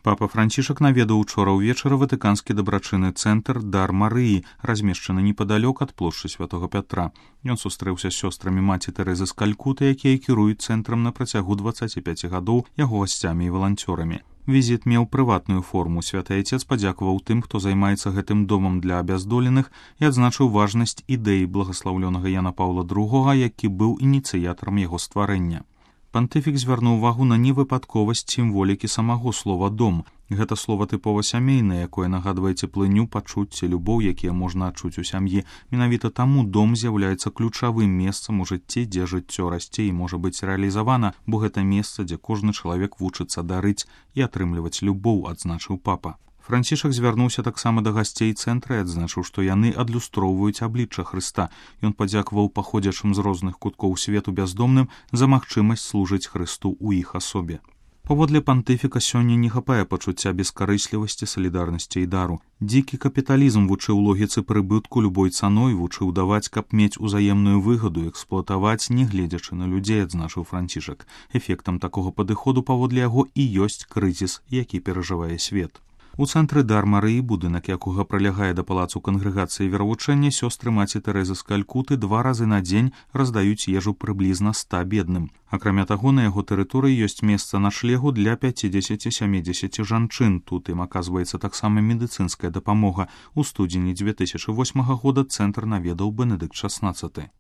Папа Францішак наведаў учора ўвечары ватыканскі дабрачынны цэнтр «Дар Марыі», размешчаны непадалёк ад плошчы Святога Пятра. Ён сустрэўся з сёстрамі маці Тэрэзы з Калькуты, якія кіруюць цэнтрам на працягу 25 гадоў, яго гасцямі і валанцёрамі. Візіт меў прыватную форму. Святы Айцец падзякаваў тым, хто займаецца гэтым домам для абяздоленых, і адзначыў важнасць ідэі благаслаўлёнага Яна Паўла II, які быў ініцыятарам яго стварэння. Пантыфік звярнуў увагу на невыпадковасць сімволікі самого слова «дом». Гэта слова тыпова сямейнае, якое нагадвае цеплыню, пачуцці, любоў, якія можна адчуць у сям'і. Менавіта таму дом з'яўляецца ключавым месцам у жыцці, дзе жыццё расце і можа быць рэалізавана, бо гэта месца, дзе кожны чалавек вучыцца дарыць і атрымліваць любоў, адзначыў папа. Францішак звярнуўся таксама да гасцей цэнтра і адзначыў, што яны адлюстроўваюць аблічча Хрыста. Ён падзякаваў паходзячым з розных куткоў свету бяздомным за магчымасць служыць Хрысту ў іх асобе. Паводле пантыфіка сёння не хапае пачуцця бескарыслівасці, салідарнасці і дару. Дзікі капіталізм вучыў логіцы прыбытку любой цаной, вучыў даваць, каб мець узаемную выгаду, эксплуатаваць, не гледзячы на людзей, адзначыў Францішак. Эфектам такога падыходу паводле яго і ёсць крызіс, які перажывае свет. У цэнтры «Дар Марыі», будынак якога прылягае да палацу кангрэгацыі веравучэння, сёстры маці Тэрэзы з Калькуты 2 разы на дзень раздаюць ежу прыблізна 100 бедным. Акрамя таго, на яго тэрыторыі ёсць месца начлегу для 50-70 жанчын. Тут ім аказваецца таксама медыцынская дапамога. У студзені 2008 года цэнтр наведаў Бенедыкт XVI.